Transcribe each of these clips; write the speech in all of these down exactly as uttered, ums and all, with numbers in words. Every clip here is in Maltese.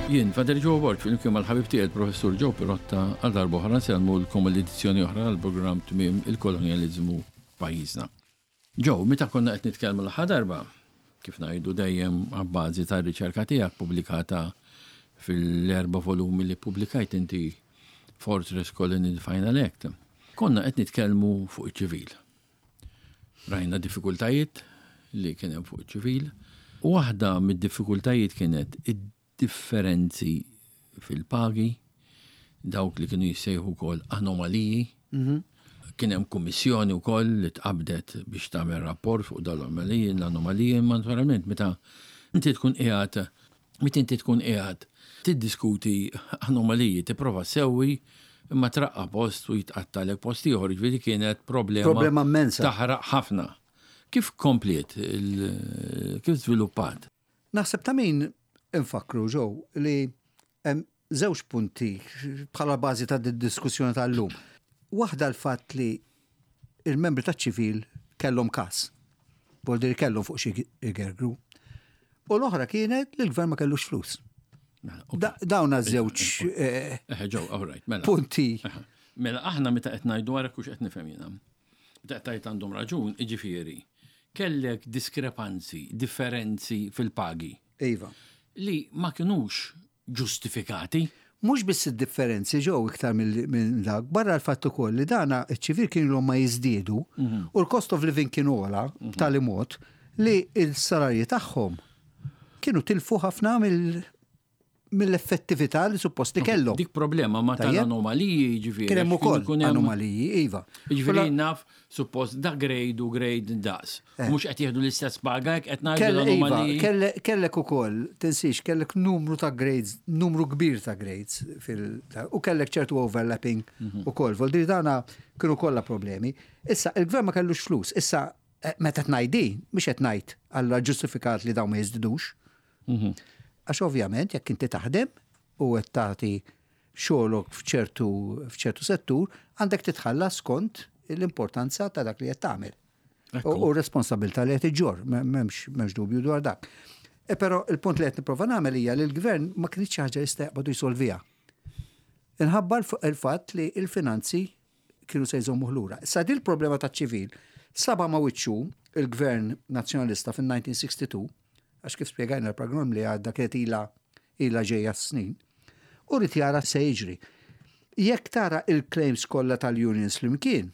Jien, Father Joe Borg, flimkien mal-ħabib tiegħi professur Joe Pirotta, għal darb'oħra nsellmulkom l-edizzjoni oħra għall-programm Tmiem il-Kolonjaliżmu Pajjiżna. Joe, meta konna qed nitkellmu l-aħħar darba, kif ngħidu dejjem abbażi tar-riċerka tiegħek pubblikata fil-erba' volumi li pubblikajt inti, Fortress Colony Final Act, konna qed nitkellmu fuq iċ-ċivil. Rajna diffikultajiet li kien hemm fuq iċ-ċivil, u waħda mid-diffikultajiet kienet id-differenzi fil-pagi, dawk li kienu jissejħu wkoll anomaliji. Kien hemm kummissjoni wkoll li tqabdet biex tagħmel rapport fuq dawn l-anomaliji, l-anomaliji, imma naturalment meta inti tkun qiegħed meta inti tkun qiegħed tiddiskuti anomaliji, tipprova sewwi, imma traqqa post u jitqattalek post ieħor, jiġifieri kienet problema Problema immensa. Taħraq ħafna. Kif kompliet, il- kif żviluppat? Naħseb ta' min infakru, Joe, li hemm żewġ punti bħala bażi ta' diskussjoni tal-lum. Waħda l-fatt li il-membri ta' ċivil kellhom kas. Vuol kellhom fuq xi igergru. U l-oħra kienet li l-gvern ma kellux flus. Mela, ok. Da- Dawn żewġ eh, Eh, Joe, all right, mela. punti. Mela, aħna meta qed ngħidu, għara kux qed nifhem jiena. Meta qed tgħid għandhom raġun, jiġifieri, kellek diskrepanzi, differenzi fil-pagi Iva. li ma kinux ġustifikati. Mhux biss id-differenzi ġew iktar mill- minn dak, barra l-fatt ukoll li dana iċ-ċivil kienu ma jiżdiedu u l-cost of living kienu ogħla b'tali mod li il-salarji tagħhom kienu tilfu ħafna mill- mill-effettività li suppost li kellhom. Dik problema ma Tajjeb. tal-anomaliji, jiġifieri. Kien hemm għax ukoll ikun hemm- anomaliji, iva. Jiġifieri naf, suppost da grade u grade daqs. Mhux qed jieħdu l-istess paga, jekk qed ngħidu Kell, iva, l-anomaliji. kelle, kellek ukoll, tinsix, kellek numru ta' grades, numru kbir ta' grades, fil, u kellek ċertu overlapping ukoll. Vuol dire dana kienu kollha problemi. Issa, il-gvern ma kellux flus. Issa, eh, meta tgħid, mhux qed ngħid alla ġustifikat li dawn ma jiżdidux. Għax ovvjament, jekk inti taħdem u qed tagħti xogħolok f'ċertu f'ċertu settur, għandek titħallas skont l-importanza ta' dak li qed tagħmel. U u responsabilità li qed iġġorr, m'hemmx m'hemmx dubju dwar dak. E però il-punt li qed nipprova nagħmel hija li l-gvern ma kienx xi ħaġa jista' jaqbadu jsolviha. Inħabba l- il-fatt li il-finanzi kienu se jżommu lura. Issa din il-problema ta' ċivil saba ma' wiċċu il-gvern nazzjonalista fin-elf disa' mija u sitta u sittin, għax kif spjegajna l-programm li għadda kienet ila ila ġejja snin, u rrid jara se jiġri. Jekk tara il-claims kollha tal-unions flimkien,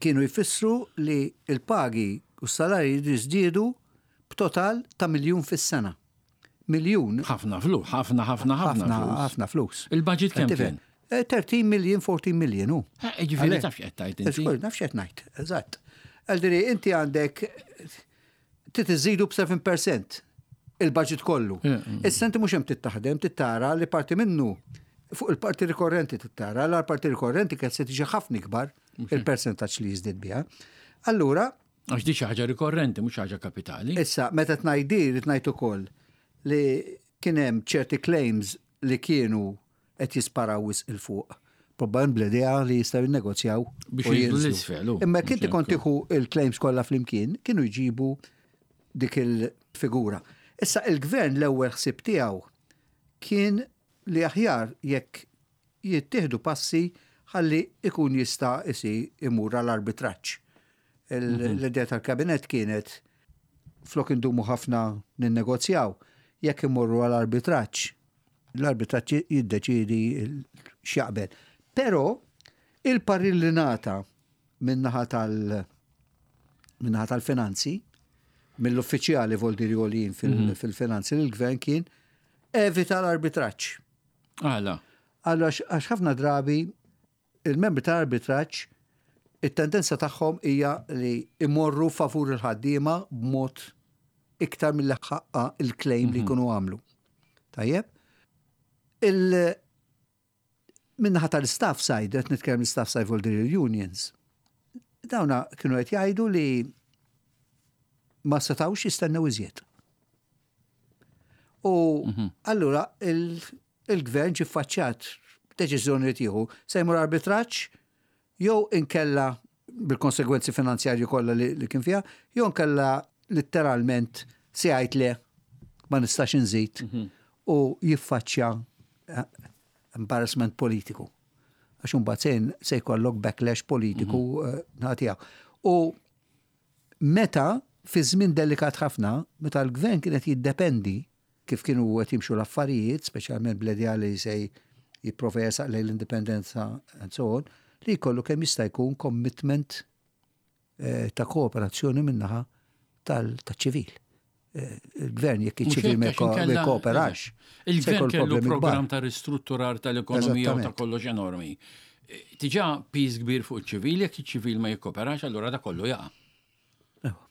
kienu jfissru li il-pagi u s-salarji jiżdiedu b'total ta' miljun fis-sena. Miljun. Ħafna flus, ħafna, ħafna, ħafna ħafna flus. Ħafna flus. Il-budget kemm kien? Eh, tlettax million, erbatax million, u. Eh, Jiġifieri taf x'qed tgħid inti. Żgur, naf x'qed ngħid, eżatt. Għaldiri, inti għandek trid iżidu b'sebgħa fil-mija il-budget kollu. Issa inti mhux hemm tittaħdem, tittara li parti minnu fuq il-parti rikorrenti tittara, l parti rikorrenti kien se tiġi ħafna ikbar il-percentaġġ li jiżdied biha. Allura, Għax di xi ħaġa rikorrenti, mhux ħaġa kapitali. Issa, meta tgħid, rrid ngħid ukoll li kien hemm ċerti claims li kienu qed jisparaw wisq 'il fuq. Probabbli bl-idea li jistgħu jinnegozjaw Biex u jinżlu jinżlu. l-isfel, u. Imma kien Mhux kont hekk. tieħu il-claims kollha flimkien, kienu jġibu dik il-figura. Issa il-gvern l-ewwel ħsieb tiegħu kien li aħjar jekk jittieħdu passi ħalli ikun jista' isi imur għall-arbitraġġ. Il- L-idea tal-kabinet kienet flok indumu ħafna ninnegozjaw, jekk imorru għall-arbitraġġ, l-arbitraġġ jiddeċidi il- x'jaqbel. Però il-parir li ngħata min-naħa tal min-naħa tal-finanzi, mill-uffiċjali vuol dire għoljin fil- fil-finanzi l-gvern kien evita l-arbitraġġ. Għala. Għallu għax għax ħafna drabi il-membri tal-arbitraġġ it-tendenza tagħhom hija li imorru favur il-ħaddiema b'mod iktar mill ħaqqa il-claim li jkunu għamlu. Tajjeb? Il Min-naħa tal-staff side, qed nitkellem l-staff side vuol dire unions, dawna kienu qed jgħidu li ma setawx jistennew iżjed. U allura il- il-gvern ġi faċċat deċiżjoni li tieħu, se jmur arbitraġġ jew inkella bil-konsegwenzi finanzjarji kollha li, li kien fiha, jew inkella letteralment se jgħid le, ma nistax inżid. u jiffaċċja eh, embarrassment politiku. Għax imbagħad se se jkollok backlash politiku eh, naħa tiegħu. U meta fi żmien delikat ħafna, meta l-gvern kienet jiddependi kif kienu qed jimxu l-affarijiet, speċjalment bl-idea li se jipprova jersaq lejn l-indipendenza and so on, li jkollu kemm jista' jkun commitment eh, ta' kooperazzjoni min-naħa tal-ċivil. Eh, Il-gvern jekk iċ-ċivil ma jkooperax. Se Il-gvern jkollu kellu problemi kbar. program ta' ristrutturar tal-ekonomija u ta' Eżattament. kollox enormi. Diġà piż kbir fuq iċ-ċivil, jekk iċ-ċivil ma jikkoperax, allura da kollu jaqa'.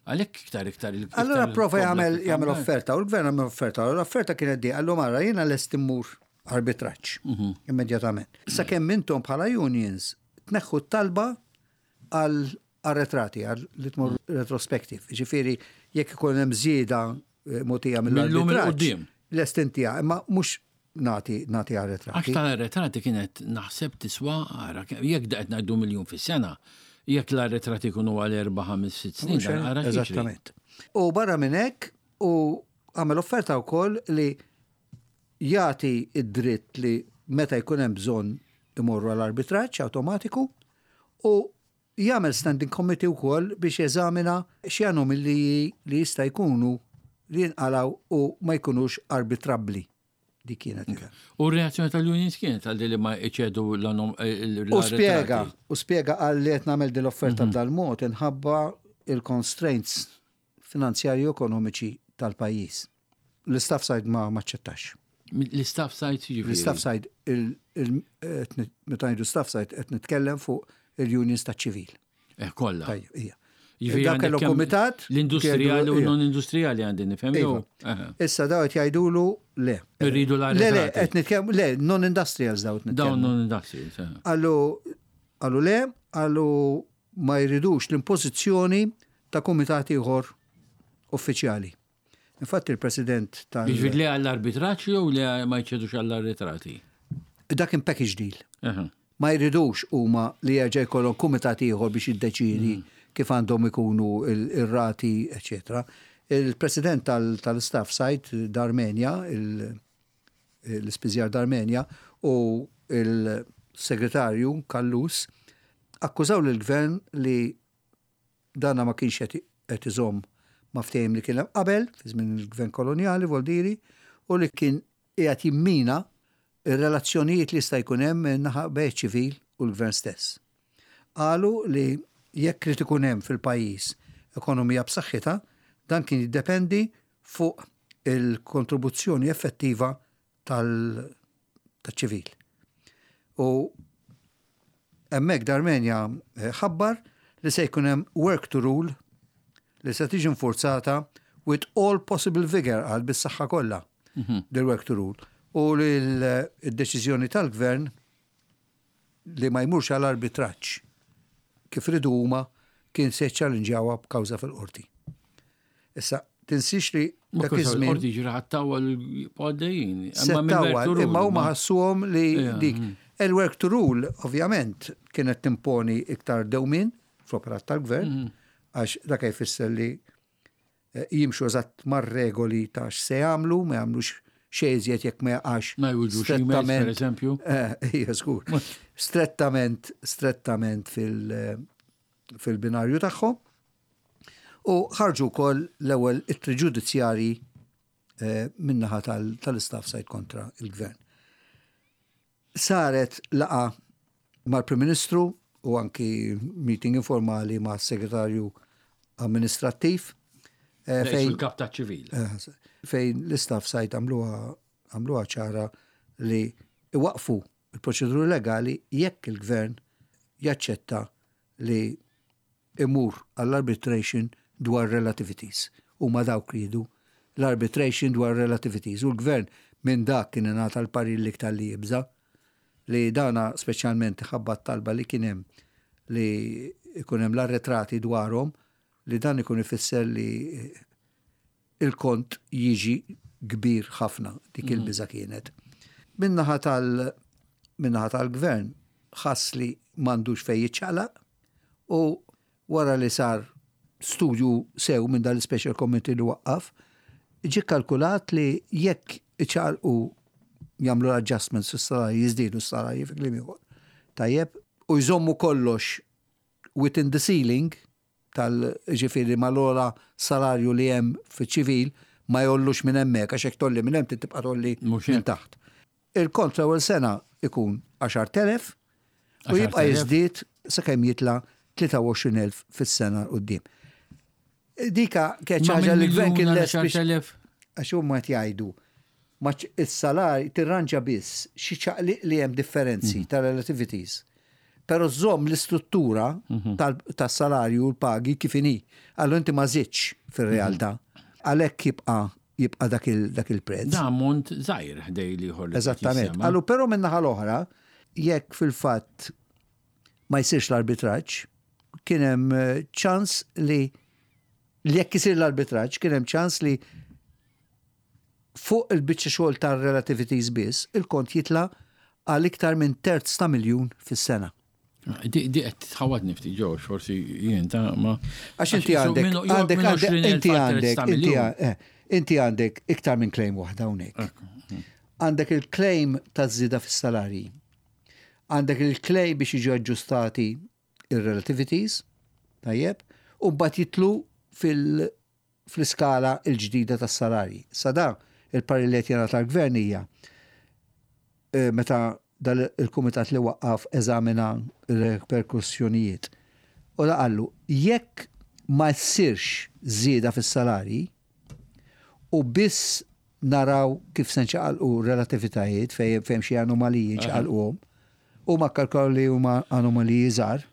Għalhekk iktar iktar il- Allora iktar prova jagħmel il- jagħmel offerta u l-gvern għamel offerta. U l-offerta kienet di, qallu mara jiena lest immur arbitraġġ immedjatament. Sakemm intom bħala unions tneħħu t-talba għal arretrati, għal li tmur retrospective. Ġifieri jekk ikun hemm żieda eh, mogħtija Mil-lum 'il mill-arbitraġġ. quddiem. Lest intija, imma mhux nagħti nagħti arretrati. Għax tal-arretrati kienet naħseb tiswa, ara, jekk da qed ngħidu miljun fis-sena, jekk l-arretrati jkunu għal erba' ħames sitt snin, dan ara x'jiġri. Eżattament. U barra minn hekk u għamel offerta wkoll li jagħti id-dritt li meta jkun hemm bżonn imorru għall-arbitraġġ awtomatiku u jagħmel standing committee wkoll biex jeżamina xi anomaliji li jista' jkunu li jinqalaw u ma jkunux arbitrabbli. Dik kienet. U r-reazzjoni tal-unions kienet għal li ma iċedu l-anom. U spjega, u spjega għal li qed nagħmel din l-offerta b'dal-mod inħabba il-constraints finanzjarji u ekonomiċi tal-pajjiż. L-istaff side ma maċċettax. L-istaff side jiġifieri. L-istaff side, il- il- qed nit- meta ngħidu staff side qed nitkellem fuq il-unions ta' ċivil. Eh, kollha. Tajjeb, ija. Jiġifieri Dak għandek kellu kemm kumitat. L-industrijali u kienu- non-industrijali għandi nifhem jew. Iva. Aha. Issa daw qed jgħidulu le. Irridu Le, le, l-arretrati. qed nitkellem, le, non-industrials daw qed Dawn nitkellmu. non-industrials. eh. Qallu, qallu le, qallu ma jridux l-impożizzjoni ta' kumitat ieħor uffiċjali. Infatti il-president tal- Jiġifieri li għall-arbitraġġ jew li ma jċedux għall-arretrati? Dak kien package deal. Aha. Ma jridux huma li jerġa' jkollhom kumitat ieħor biex jiddeċidi kif għandhom ikunu il- ir-rati, eċetera. Il-president tal- tal-staff side Darmenia, il- l-ispiżjar Darmenia u il-segretarju Kallus akkużaw lill-gvern li dana ma kienx qed qed iżomm ma' ftehim li kien hemm qabel, fi żmien il-gvern kolonjali, voldiri, u li kien qiegħed jimmina ir-relazzjonijiet li jista' jkun hemm naħa bejn ċivil u l-gvern stess. Qalu li jekk irid ikun hemm fil-pajjiż ekonomija b'saħħitha, dan kien jiddependi fuq il-kontribuzzjoni effettiva tal-ċivil. U hemmhekk Darmenia eh, ħabbar li se jkun hemm work to rule li se tiġi infurzata with all possible vigor għal bis-saħħa kollha del work to rule. U li l-deċiżjoni tal-gvern li ma jmurx għal arbitraġġ kif ridu huma kien se challengewha b'kawża fil-qorti. Issa, tinsix li Ma dak kif iż-żmien il-qorti ġira ħattawal għaddejjin. Settawal, imma huma ħassuhom li Ija, dik. Il-work to rule, ovvjament, kienet timponi iktar dewmin fl-operat tal-gvern, għax dak jfisser li eh, jimxu eżatt mar-regoli ta' x'se jagħmlu, ma jagħmlux xejn iżjed jekk ma jaqax. Ma jwġux emails, per eżempju. Eh, Ija, żgur. Strettament, strettament fil- fil-binarju tagħhom. U ħarġu wkoll l-ewwel ittri ġudizzjarji eh, min-naħa tal- tal-istaff side kontra il-gvern. Saret laqgħa mal-Prim Ministru u anki meeting informali ma' segretarju amministrattiv eh, Fejn il-kap ta' ċivil. Eh, fejn l-istaff side għamluha għamluha ċara li iwaqfu il-proċeduri legali jekk il-gvern jaċċetta li imur għall-arbitration dwar relativities. U ma dawk ridu l-arbitration dwar relativities. U l-gvern minn dak kien ingħata l-parir l-iktar li jibża li dana speċjalment ħabba talba li kien hemm li ikun hemm l-arretrati dwarhom li dan ikun ifisser li il-kont jiġi kbir ħafna dik il-biża kienet. Min-naħa tal min-naħa tal-gvern ħass li m'għandux fejn jiċċaqlaq u wara li sar studju sew minn dal-special committee li waqqaf, ġi kalkulat li jekk iċaqalqu, jagħmlu l-adjustments fis-salarji, jiżdiedu s-salarji fi kliem ieħor. Tajjeb, u jżommu kollox within the ceiling tal ġifieri mal-ogħla salarju li hemm fiċ-ċivil, ma jgħollux minn hemmhekk, għax hekk tgħolli minn hemm tibqa' tgħolli Mhux minn hekk. taħt. Il-kont l-ewwel sena ikun għaxart elef u jibqa' għaxart elef. jiżdied sakemm jitla' tlieta u għoxrin elf fis-sena quddiem. Dika kienet Ma ħaġa minn li l-gvern kien miljun għal lest biex għaxart elef. Għax huma qed jgħidu ma ċ- is-salarji tirranġa biss xi ċaqliq li hemm differenzi ta' relativities. Però żomm l-istruttura tal- tas-salarju u l-pagi kif inhi. Allura inti ma żidtx fir-realtà. Għalhekk jibqa' jibqa' dak il- dak il-prezz. Da ammont żgħir ħdejn l-ieħor li Eżattament. jissemma. Allu però min-naħa l-oħra, jekk fil-fatt ma jsirx l-arbitraġġ, kien hemm eh, ċans li li jekk isir l-arbitraġġ, kien hemm ċans li fuq il-biċċa xogħol tar-relativities biss, il-kont jitla' għal iktar minn terz ta' miljun fis-sena. Di di qed tħawadni ftit ġo, forsi jien ta' ma. Għax inti għandek, għandek, għandek, inti għandek, inti eh, inti għandek iktar minn claim waħda hawnhekk. Għandek il-claim ta' żieda fis-salarji. Għandek il-claim biex jiġu aġġustati il-relativities, tajjeb, u mbagħad jitlu fil- fl-iskala il-ġdida tas-salarji. Sa da, il-parir li qed jingħata tal-gvern hija eh, meta dal il-kumitat li waqqaf eżamina il-reperkussjonijiet. U da qallu, jekk ma ssirx żieda fis-salarji u biss naraw kif se nċaqalqu relativitajiet fejn fejn xi anomaliji nċaqalquhom, u ma kalkolaw li huma anomaliji żgħar.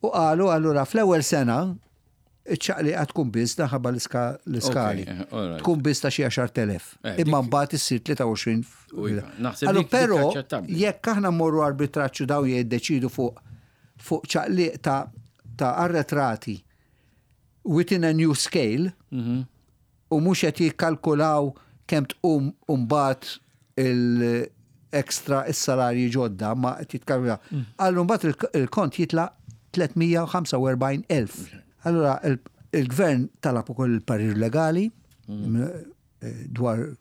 U qalu allura fl-ewwel sena iċ-ċaqliqa tkun biss minħabba l-iskali. Okay, all right. Tkun biss ta' xi għaxart elef. Eh, Imma dik- mbagħad issir tlieta u għoxrin. U iva, naħseb Allu dik- dik però aċċettabbli. jekk aħna mmorru arbitraġġ daw jiddeċidu fuq fuq ċaqliq ta' ta' arretrati within a new scale Mhm. u mhux qed jikkalkulaw kemm tqum mbagħad il-extra is-salarji ġodda ma qed jitkalkulaw. Mm. Allu mbagħad il- il-kont jitla' tliet mija u ħamsa u erbgħin elf. Allura il- il-gvern talab ukoll il-parir legali Mm. eh, dwar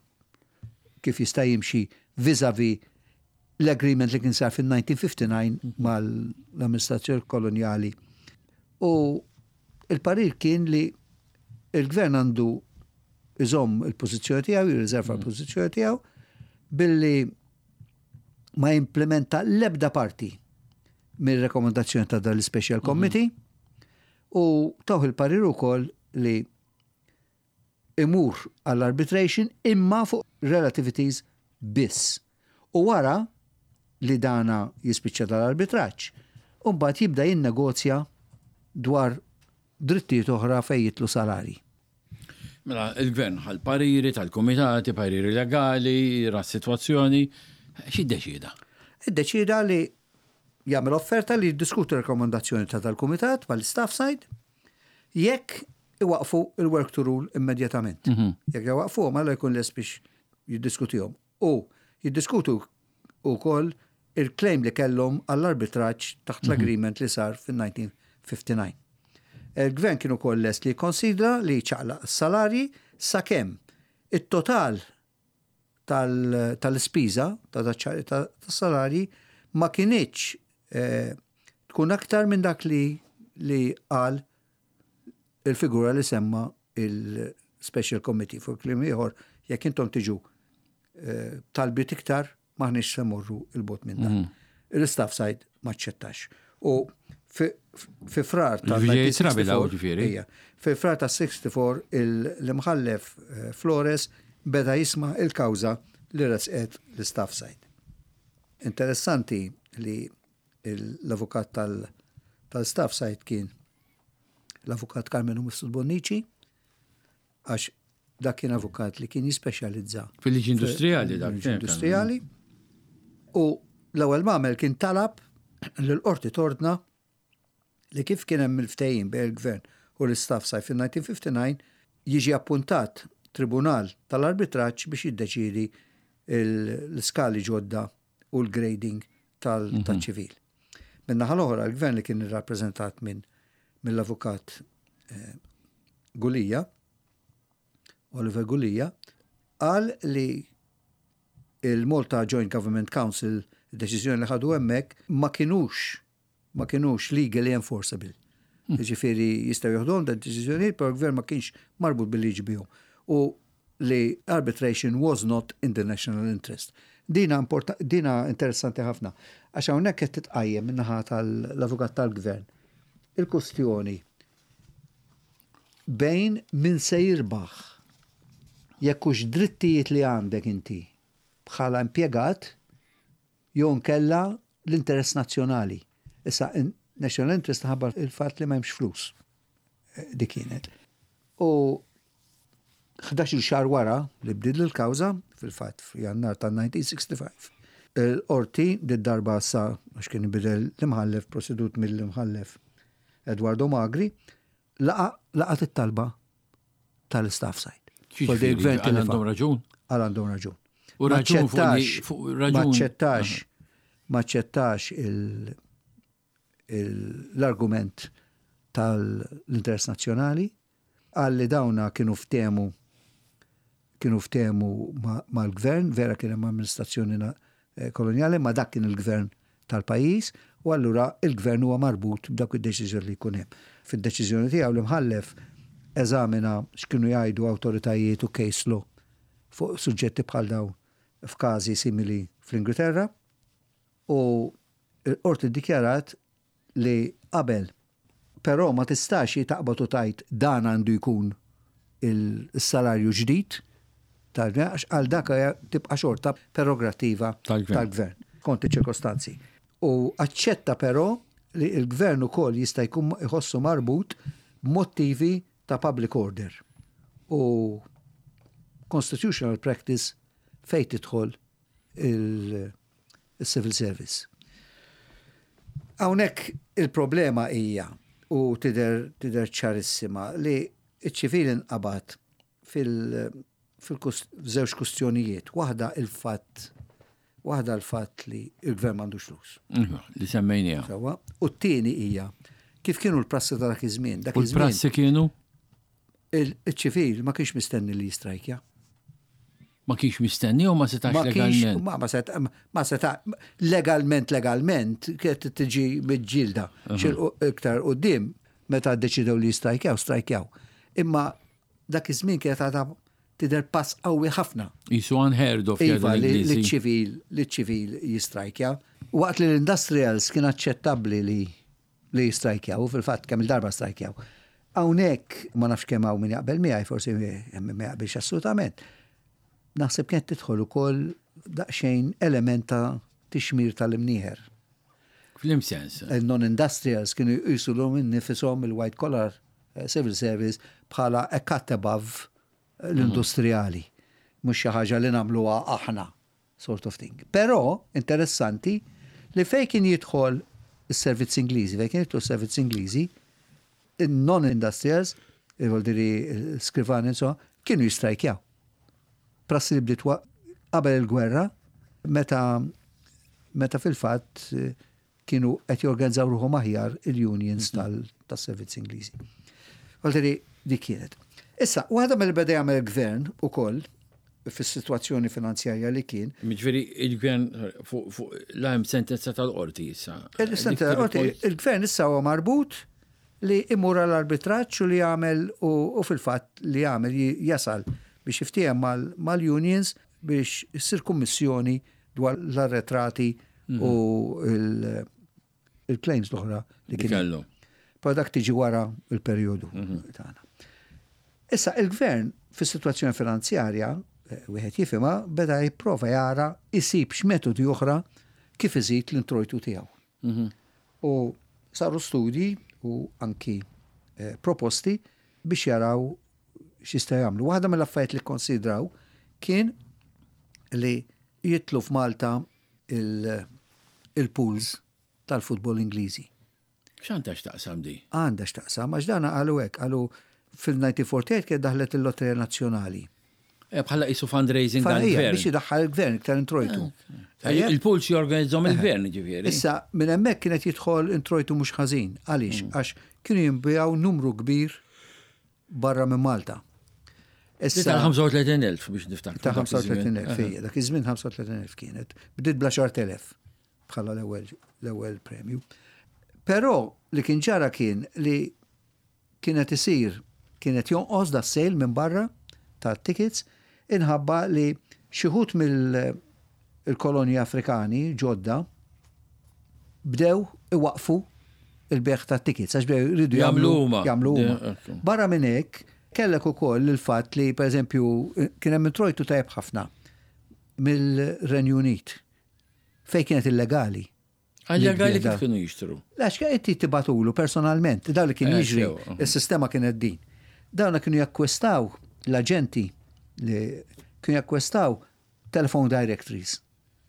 kif jista' jimxi vis-a-vis l-agreement li kien sar fil-elf disa' mija u ħamsa u disgħin mal-amministrazzjoni koloniali. U il-parir kien li il-gvern għandu iżomm il-pożizzjoni tiegħu, jirriserva l-pożizzjoni tiegħu billi ma jimplementa l-ebda parti mir-rekomendazzjoni ta' dal-Special Committee u tawh il-parir ukoll li imur għall-arbitration imma fuq relativities biss. U wara li dana jispiċċa dal-arbitraġġ, u mbagħad jibda jinnegozja dwar drittijiet oħra fejn jidħlu salari. Mela, il-gvern ħa l-pariri tal-komitati, pariri legali, ra situazzjoni, x'iddeċida? Iddeċida li jagħmel offerta li jiddiskutu rekomendazzjoni ta' tal-kumitat mal-staff side jekk iwaqfu il-work to rule immedjatament. Jekk iwaqfu, mela jkun lest biex jiddiskutihom. U jiddiskutu wkoll il-claim li kellhom għall-arbitraġġ taħt l-agreement li sar fil-elf disa' mija u ħamsa u disgħin. Il-gvern kienu ukoll lest li jikkonsidra li ċaqlaq s-salarji sakemm it-total tal- tal-ispiża ta' daċ- ta' tas-salarji ma kinitx eh, tkun aktar minn dak li li qal il-figura li semma il-Special Committee. Fuq kliem ieħor, jekk intom tiġu eh, talbiet iktar, m'aħniex se morru 'il bogħod minn dan. Il-staff side ma ċċettax. U fi fi Frar Il-V J tal-elf disa' mija u sitta u sittaw, Trabi daw, ġifieri. Ija. Fi Frar ta' sitta u sittaw il- l-imħallef eh, Flores beda jisma' il-kawża li resqet l-staff side. Interessanti li l-avukat tal- tal-staff side kien l-avukat Karmenu Mifsud Bonnici, għax dak kien avukat li kien jispeċjalizza Fil-liġi industrijali dak. fil-liġi industrijali. U l-ewwel m'għamel kien talab l-qorti tordna li kif kien hemm il-ftehim bejn il-gvern u l-istaff side fil-elf disa' mija u ħamsa u disgħin jiġi appuntat tribunal tal-arbitraġġ biex jiddeċidi l-skali ġodda u l-grading tal-ċivil. Min-naħa l-oħra, l-gvern li kien irrappreżentat minn mill-avukat eh, Gulija, Oliver Gulija, qal li Il-Malta Joint Government Council, deċiżjoni li ħadu hemmhekk, ma kienux ma kienux legally enforceable. Hmm. Ġifieri jistgħu joħduhom dan deċiżjonijiet, però l-gvern ma kienx marbut bil-liġi bihom. U li arbitration was not in the national interest. Dina, dina interessanti ħafna. Għax hawnhekk qed titqajjem min-naħa tal-avukat tal-gvern. Il-kustjoni bejn min se jirbaħ jekk hux drittijiet li għandek inti bħala impjegat jew nkella l-interess nazzjonali. Issa, national interest ħabba il-fatt li ma hemmx flus. Eh, dik kienet. U ħdax-il xahar wara li bdiet il-kawża, fil-fatt f'Jannar ta' elf disa' mija u ħamsa u sittin, il-qorti darba sa għax kien bidel l-imħallef, presedut mill-imħallef Eduardo Magri, laqat it-talba tal-staff side. Għal għandhom raġun? Għal għandhom raġun. U raġun Maċċettax, maċċettax l-argument tal-interess nazzjonali, għal li dawna kienu ftehmu kienu ftehmu mal-gvern, vera kien hemm amministrazzjoni eh, koloniali, ma dak kien il-gvern tal-pajjiż, u allura il-gvern huwa marbut b'dak id-deċiżjoni li jkun hemm. Fid-deċiżjoni tiegħu l-imħallef eżamina x'kienu jgħidu awtoritajiet u case law fuq suġġetti bħal dawn f'każi simili fl-Ingilterra u l-qorti ddikjarat li qabel, però ma tistax taqbad u tgħid dan għandu jkun il-salarju ġdid tal-gvern, għax għal dak tibqa' xorta prerogativa tal-gvern kont ċirkostanzi. U aċċetta però li il-gvern ukoll jista' jkun iħossu marbut b'motivi ta' public order u constitutional practice fejn tidħol il-civil service. Hawnhekk il-problema hija u tidher tidher ċarissima li iċ-ċivil inqabad fil-żewġ kustjonijiet. Waħda il-fatt waħda l-fatt li il-gvern m'għandux flus. Mhm, li semmejnija. U t-tieni hija kif kienu l-prassi ta' dak iż-żmien. U l-prassi kienu? Il-ċivil ma kienx mistenni li jistrajkja. Ma kienx mistenni u ma setax legalment? Ma ma seta, ma seta, legalment, legalment, kienet tiġi miġġielda. Iktar quddiem, meta deċidew li jistrajkjaw, strajkjaw. Imma dak iż-żmien kienet għadha tidher pass qawwi ħafna. Qisu unheard of. Iva, li ċivil, li ċivil jistrajkja. Waqt li l-industrials kien aċċettabbli li li jistrajkjaw, u fil-fatt kemm il-darba strajkjaw. Hawnhekk ma nafx kemm hawn min jaqbel miegħi, forsi ma jaqbilx assolutament. Naħseb kienet tidħol ukoll daqsxejn element ta' tixmir tal-imnieħer. F'liema sens? Il-non-industrials kienu jqisu lilhom infushom il-white collar eh, civil service bħala a cut above l-industrijali. Mhux xi ħaġa li nagħmluha aħna, sort of thing. Però interessanti li fejn kien jidħol is-servizz Ingliżi, fejn kien jidħol is-servizz Ingliżi, non-industrials, il skrivani insomma, kienu jistrajkjaw. Prassi li bdiet qabel il-gwerra, meta meta fil-fatt eh, kienu qed jorganizzaw ruħhom aħjar il-unions mhm. tas-servizz Ingliżi. Għalteri dik kienet. Issa, waħda mill-beda jagħmel il-gvern ukoll fis-sitwazzjoni finanzjarja li kien. Jiġifieri il-gvern fuq la hemm sentenza tal-qorti issa. Il-sentenza tal-qorti, il-gvern issa huwa marbut li imur għall-arbitraġġ u li jagħmel u fil-fatt li jagħmel jasal biex jiftiehem mal-unions biex issir kummissjoni dwar l-arretrati mhm. u il-claims l-oħra li kellu. Però dak tiġi wara il-perjodu mhm. tagħna. Issa il-gvern fis-sitwazzjoni finanzjarja, eh, wieħed jifhimha, beda jipprova jara isib x'metodi oħra kif iżid l-introjtu tiegħu. Mhm. U saru studji u anki eh, proposti biex jaraw x'jista' jagħmlu. Waħda mill-affarijiet li konsidraw kien li jidħlu f'Malta il-pools tal-futbol Ingliżi. X'għandha x'taqsam di? Għandha x'taqsam, għax dana qalu hekk, qalu fil-elf disa' mija u erbgħa u erbgħin kien daħlet il-Lotterija Nazzjonali. Eh, bħala qisu fundraising għal-gvern. Biex idaħħal il-gvern iktar introjtu. Eh, il-pools jorganizzahom il-gvern, ġifieri. Issa, minn hemmhekk kienet jidħol introjtu mhux ħażin. Għaliex? Mm. Għax kienu jinbiegħu numru kbir barra minn Malta. Issa Ta' ħamsa u tletin elf biex niftakru. Ta' dak iż-żmien. ħamsa u tletin elf, ija, dak iż-żmien ħamsa u tletin elf kienet. Bdiet bl-għaxart elef bħala l-ewwel l-ewwel premju. Però li kien ġara kien li kienet isir kienet jonqos da sale minn barra ta' tickets inħabba li xi wħud mill-kolonji Afrikani ġodda bdew iwaqfu il-bejgħ ta' tickets għax bdew jridu jagħmlu huma. Jagħmlu huma. De- ok. Barra minn hekk, kellek ukoll il-fatt li pereżempju kien hemm introjtu tajjeb ħafna mill-Renju Unit fejn kienet illegali. Illegali Li kif kienu jixtru? Għax inti tibgħatulu personalment, daw li kien Eh, jiġri, sew. il-sistema kienet din. Dawna kienu jakkwistaw l-aġenti li kienu jakkwistaw telephone directories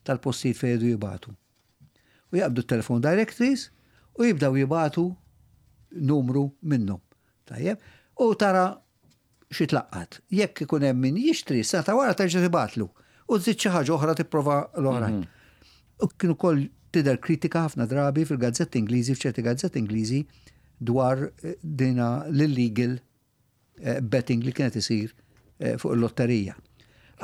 tal-postijiet fejn jridu jibagħtu. U jaqbdu telephone directories u jibdaw jibagħtu numru minnhom. Tajjeb? U tara xi tlaqqat. Jekk ikun hemm min jixtri, sena ta' wara terġa' tibgħatlu. U żżid xi ħaġa oħra tipprova l-oħrajn. U kienu kol tidher kritika ħafna drabi fil-gazzetti Ingliżi, f'ċerti gazzetti Ingliżi dwar eh, dina l-illegal eh, betting li kienet isir eh, fuq il-lotterija.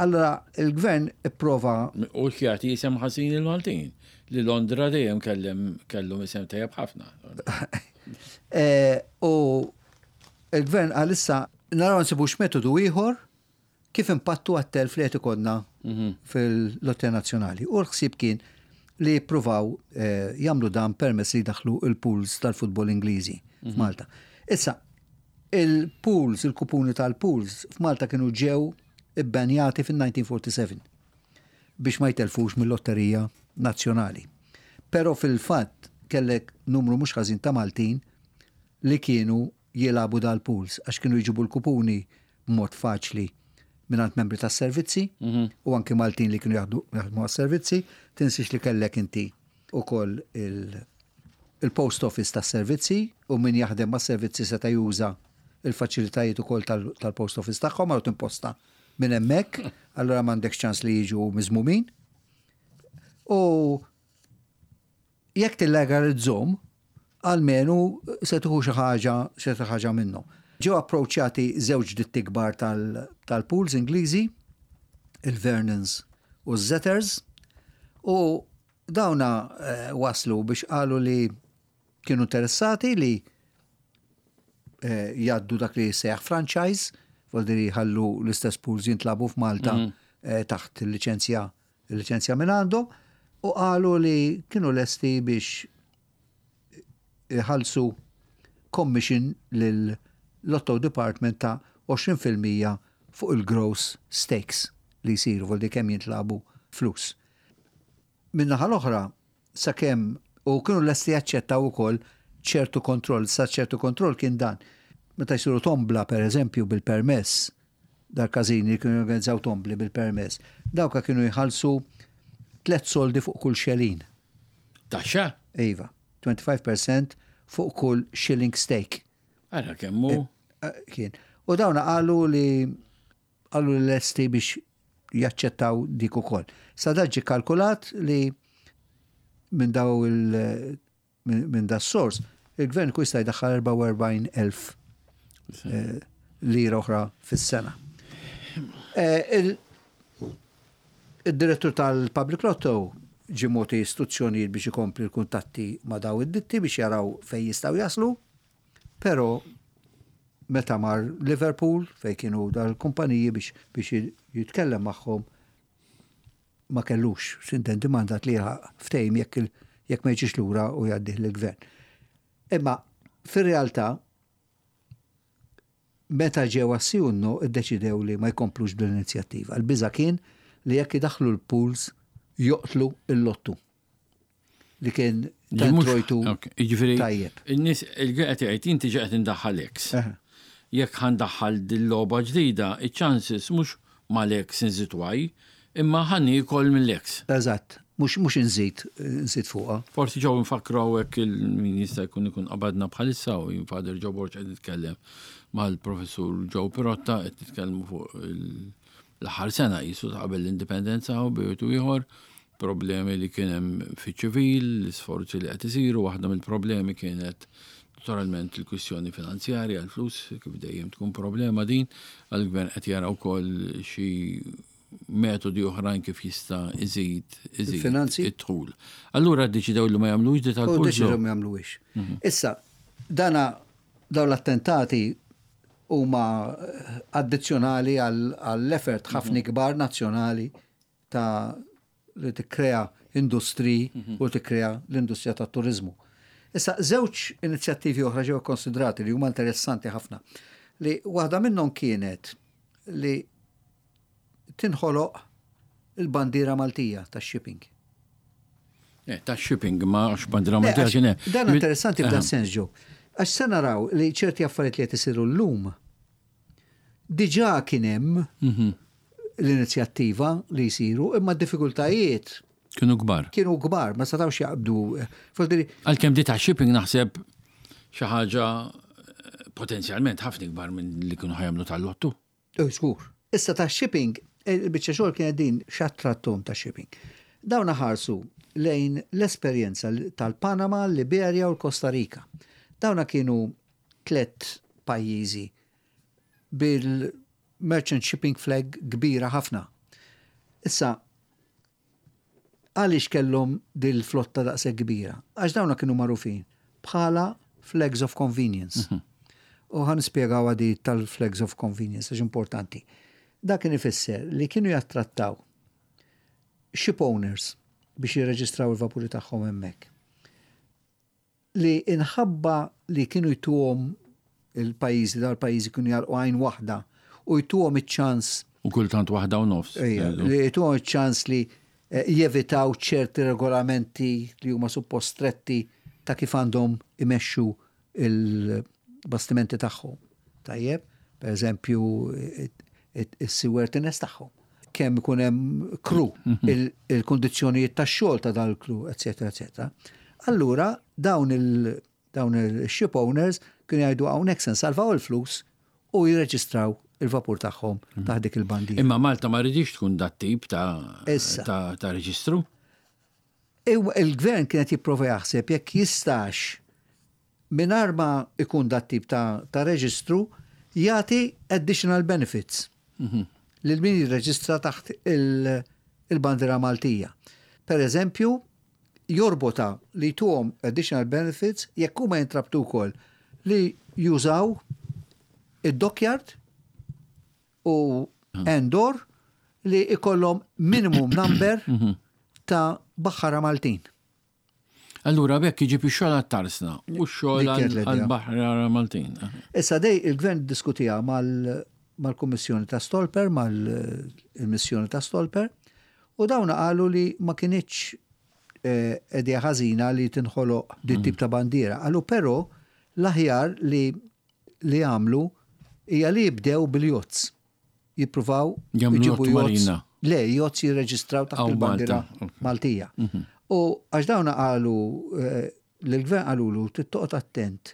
Allora, il-gvern ipprova U jagħti isem ħażin il-Maltin. Li Londra dejjem kellem kellhom isem tajjeb ħafna. Eh, u il-gvern għalissa naraw nsibux metodu ieħor kif impattu għat-telf li qed ikollna fil-Lotterija Nazzjonali. U l-ħsieb kien li jippruvaw eh, jagħmlu dan permezz li daħlu il-pools tal-futbol Ingliżi f'Malta. Issa, il-pools, il-kupuni tal-pools f'Malta kienu ġew ibbenjati fil-elf disa' mija u erbgħa u erbgħin biex ma jtelfux mill-Lotterija Nazzjonali. Però fil-fatt kellek numru mhux ħażin ta' Maltin li kienu jilagħbu dal-pools għax kienu jġibu l-kupuni b'mod faċli mingħand membri tas-servizzi u anki Maltin li kienu jaħdu jaħdmu għas-servizzi, tinsix li kellek inti ukoll il- il-post office tas-servizzi u min jaħdem mas-servizzi seta' juża il-faċilitajiet ukoll tal- tal-post office tagħhom għal timposta minn hemmhekk, allura m'għandekx ċans li jiġu miżmumin. U jekk tillegalizzhom, almenu se tieħu xi ħaġa xi ħaġa minnhom. Ġew approċċjati żewġ ditti kbar tal- tal-pools Ingliżi, il-Vernons u z-Zetters, u dawna eh, waslu biex qalu li kienu interessati li eh, jgħaddu dak li sejaħ franchise, vuol ħallu l-istess pools jintlagħbu f'Malta eh, taħt il-licenzja il-licenzja minn għandhom, u qalu li kienu lesti biex iħallsu commission lil Lotto Department ta' għoxrin fil-mija fuq il-gross stakes li jisiru, vuol kemm jintlagħbu flus. Min-naħa l-oħra, sakemm u kienu lesti jaċċettaw ukoll ċertu kontroll, sa ċertu kontroll kien dan. Meta jsiru tombla, per eżempju, bil-permess, dal-każini li kienu jorganizzaw tombli bil-permess, dawka kienu jħallsu tlet soldi fuq kull xelin. Taxxa? Iva, twenty-five percent fuq kull shilling stake. Ara kemmu. Eh, Kien. U dawna qalu li qalu li lesti biex jaċċettaw dik ukoll. Sa dak ġie kalkulat li minn daw il minn min da sors il-gvern ku jista' jdaħħal erbgħa u erbgħin elf eh, lira oħra fis-sena. Eh, il- Il-direttur tal-Public Lotto ġie mogħti istruzzjonijiet biex ikompli l-kuntatti ma' daw id-ditti biex jaraw fej jistgħu jaslu, pero meta mar Liverpool fej kienu dal-kumpaniji biex biex jitkellem magħhom ma kellux, s'intendi, mandat li ftehim jekk il- jekk ma jiġix lura u jgħaddih lill-gvern. Imma fir-realtà meta ġew għas-sì u n-no iddeċidew li ma jkomplux bl-inizjattiva. Il-biża kien li jekk idaħlu l-pools joqtlu il-lottu li kien ta' introjtu Jiġifieri, tajjeb. In-nies il-qed jgħid inti ġi qed indaħħal X. Eħe. Jekk ħa ndaħħal dil-logħba ġdida, iċ-chances mhux mal-X nżid Y, imma ħa niekol mill-X. Eżatt, mhux mhux inżid nżid fuqha. Forsi ġew nfakru hawnhekk il-min jista' jkun ikun qabadna bħalissa u jien Father Joe Borg qed nitkellem mal-professur Joe Pirotta, qed nitkellmu fuq il- l-aħħar sena jisu ta' qabel l-indipendenza u bejtu ieħor problemi li kien hemm fiċ-ċivil, l-isforzi li qed isiru, waħda mill-problemi kienet Naturalment il-kwistjoni finanzjarja, l-flus, kif dejjem tkun problema din, għal-gvern qed jara wkoll xi metodi oħrajn kif jista' iżid iżid Il-finanzi? id-dħul. Allura ddeċidew li ma jagħmlux di U tal-pulzo. deċidew ma jagħmluhiex. Issa, dana dawn l-attentati huma eh, addizzjonali għall-effort ħafna kbar nazzjonali ta' li tikkrea industri u tikkrea l-industrija tat turizmu. Issa, żewġ inizjattivi oħra ġew konsidrati li huma interessanti ħafna. Li waħda minnhom kienet li tinħoloq il-bandiera Maltija tax-shipping. Eh, ta' shipping ma għax bandiera Le, Maltija għax kien hemm. Dan interessanti f'dan Aha. sens ġew. Għax se naraw li ċerti affarijiet li qed isiru llum diġà kien hemm Mhm. l-inizjattiva li jsiru, imma d-diffikultajiet Kienu kbar. kienu kbar, ma setgħux jaqbdu. Voldiri, Għalkemm di ta' shipping naħseb xi ħaġa eh, potenzjalment ħafna kbar minn li kienu ħa jagħmlu tal-lottu. Oh, żgur. Issa ta' shipping, il-biċċa xogħol kienet din x'attrattom ta' shipping. Dawn ħarsu lejn l-esperjenza tal-Panama, Liberia u l-Costa Rica. Dawna kienu tlet pajjiżi bil-merchant shipping flag kbira ħafna. Issa, għaliex kellhom dil-flotta daqshekk kbira? Għax dawna kienu magħrufin bħala flags of convenience. U ħa nispjegaw għadi tal-flags of convenience, għax importanti. Dak kien ifisser li kienu jattrattaw ship owners biex jirreġistraw il-vapuri tagħhom hemmhekk. Li inħabba li kienu jtuhom il-pajjiżi, dal pajjiżi kienu jagħlqu għajn waħda u jtuhom iċ-ċans U kultant waħda u nofs. Ejja, li jtuhom iċ-ċans li eh, jevitaw ċerti regolamenti li huma suppost stretti ta' kif għandhom imexxu il-bastimenti tagħhom. Tajjeb, per eżempju, is-seaworthiness tagħhom. Kemm ikun hemm crew, il- il-kondizzjonijiet tax-xogħol ta' dal-crew, eċetera, eċetera. Allura dawn il dawn il-ship owners kienu jgħidu hawnhekk se nsalvaw il-flus u jirreġistraw il-vapur tagħhom taħt dik il-bandiera. Imma Malta ma ridix tkun dat tip ta' Issa. ta' ta' reġistru. Ew- Il-gvern kienet jipprova jaħseb jekk jistax mingħajr ma ikun dat tip ta', ta' reġistru jagħti additional benefits lil min jirreġistra taħt il- il-bandiera Maltija. Per eżempju, jorbota li tuhom additional benefits jekk huma jintrabtu wkoll li jużaw id-dockyard u Endor li ikollhom minimum number ta' baħħara Maltin. Allura bekk iġib ix-xogħol għat-tarsna u x-xogħol Dik kienet l-idea. għall-baħar Maltin. Issa dej il-gvern diskutija mal- mal-Kummissjoni ta' Stolper, mal-missjoni ta' Stolper, u dawna qalu li ma kinitx eh, idea ħażina li tinħoloq di tip ta' bandiera. Qalu però l-aħjar li li għamlu hija li jibdew bil-yachts. Jippruvaw Jagħmlu jġibu yacht yachts. marina. Le, yachts jirreġistraw taħt Aw, il-bandiera Malta, ok. Maltija. U għax dawna qalu, eh, l-gvern qalulu, tittoqgħod attent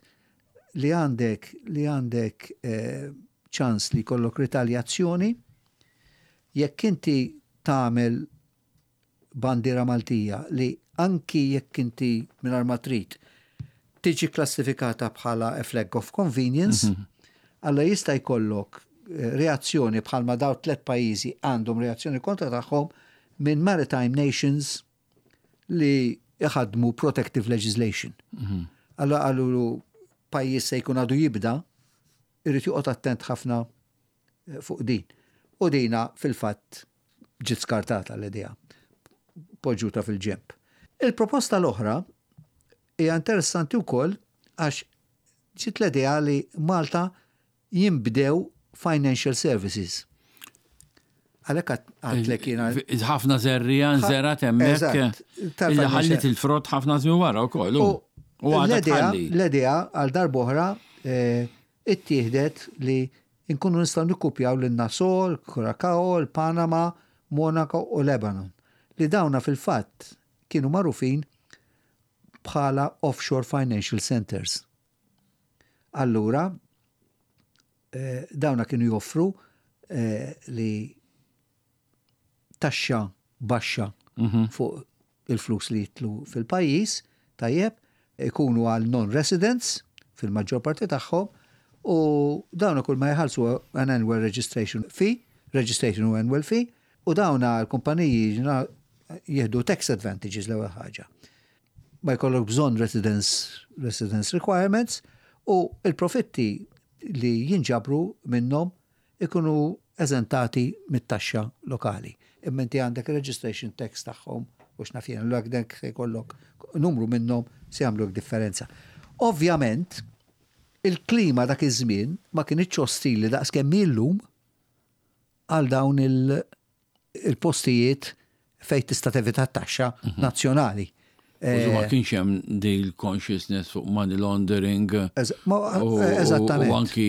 li għandek li għandek eh, ċans li jkollok ritaljazzjoni jekk inti tagħmel bandiera Maltija li anki jekk inti mingħajr ma trid tiġi klassifikata bħala a flag of convenience, alla jista' jkollok eh, reazzjoni bħalma daw tlet pajjiżi għandhom reazzjoni kontra tagħhom minn maritime nations li iħadmu protective legislation. Alla qalu pajjiż se jkun għadu jibda, irrid joqgħod attent ħafna eh, fuq din. U dina fil-fatt ġiet skartata l-idea, poġġuta fil-ġemp. Il-proposta l-oħra hija interessanti wkoll għax ġiet l-idea li Malta jinbdew financial services. Għalhekk għadtlek jiena Ħafna żerriegħa nżergħet hemmhekk. Eżatt, Illi tal-financial- ħallit il-frott ħafna żmien wara wkoll. U U għadha l-idea, tħalli. l-idea għal darb'oħra eh, ittieħdet li nkunu nistgħu nikkupjaw lil Nassau, Curacao, Panama, Monaco u Lebanon. Li dawna fil-fatt kienu magħrufin bħala offshore financial centers. Allura, eh, dawna kienu joffru eh, li taxxa baxxa fuq il-flus li jitlu fil-pajjiż, tajjeb, ikunu għal non-residents, fil-maġġor parti tagħhom, u dawn kull ma jħallsu an annual registration fee, registration u annual fee, u dawn l-kumpaniji jieħdu tax advantages l-ewwel ħaġa. Ma jkollok bżonn residence, residence requirements, u il-profitti li jinġabru minnhom ikunu eżentati mit-taxxa lokali. Imma inti għandek registration tax tagħhom u x'naf jien, l dak se jkollok numru minnhom se jagħmlu differenza. Ovvjament, il-klima dak iż-żmien ma kienx ostili daqs kemm illum għal dawn il-postijiet fejn tista' tevita t-taxxa mhm. nazzjonali. U ma eh, kienx hemm dil consciousness fuq money laundering. Eżattament. U anki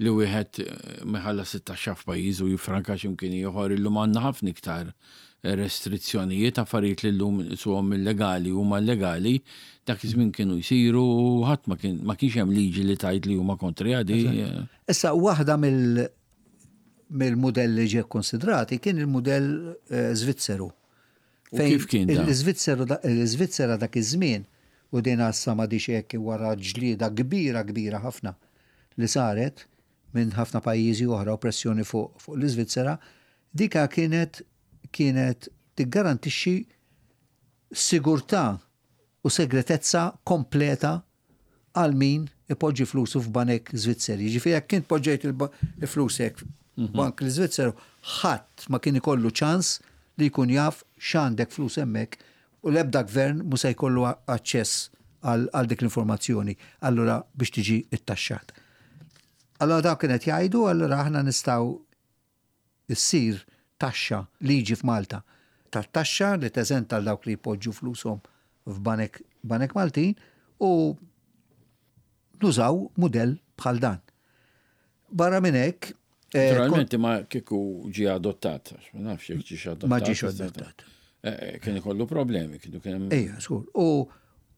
li wieħed eh, iħallas it-taxxa f'pajjiż u jifranka x'imkien ieħor. Illum għandna ħafna iktar restrizzjonijiet, affarijiet li llum suhom illegali huma illegali, dak iż-żmien kienu jsiru u ħadd ma kien ma kienx hemm liġi li tgħid li huma kontri għadi. Issa, waħda mill mill-modelli ġie konsidrati kien il-modell eh, Zvizzeru. Kif kien? L-Iżvizzera dak iż-żmien, u din għassa ma hekk, wara ġlieda kbira kbira ħafna li saret minn ħafna pajjiżi oħra u pressjoni fuq fu l-Iżvizzera, dika kienet kienet tiggarantixxi sigurtà u segretezza kompleta għal min ipoġġi flusu f'banek Zvizzeri. Ġifieri jekk kien poġġejt il-flusek mhm. bank l-Zvizzeru, ħadd ma kien ikollu ċans li jkun jaf x'għandek flus hemmhekk u l-ebda gvern mu se jkollu aċċess għal dik l-informazzjoni allura biex tiġi ittaxxat. Allora dawk kienet jgħidu, allura aħna nistgħu issir taxxa, liġi f'Malta tat-taxxa li teżenta għal dawk li jpoġġu flushom f'banek banek Maltin u nużaw mudell bħal dan. Barra minn hekk, eh, Naturalment ma kieku ġie adottat, għax ma nafx jekk ġiex adottat. Ma ġiex adottat. Eh, kien ikollu problemi, kienu kien. Ejja, żgur. U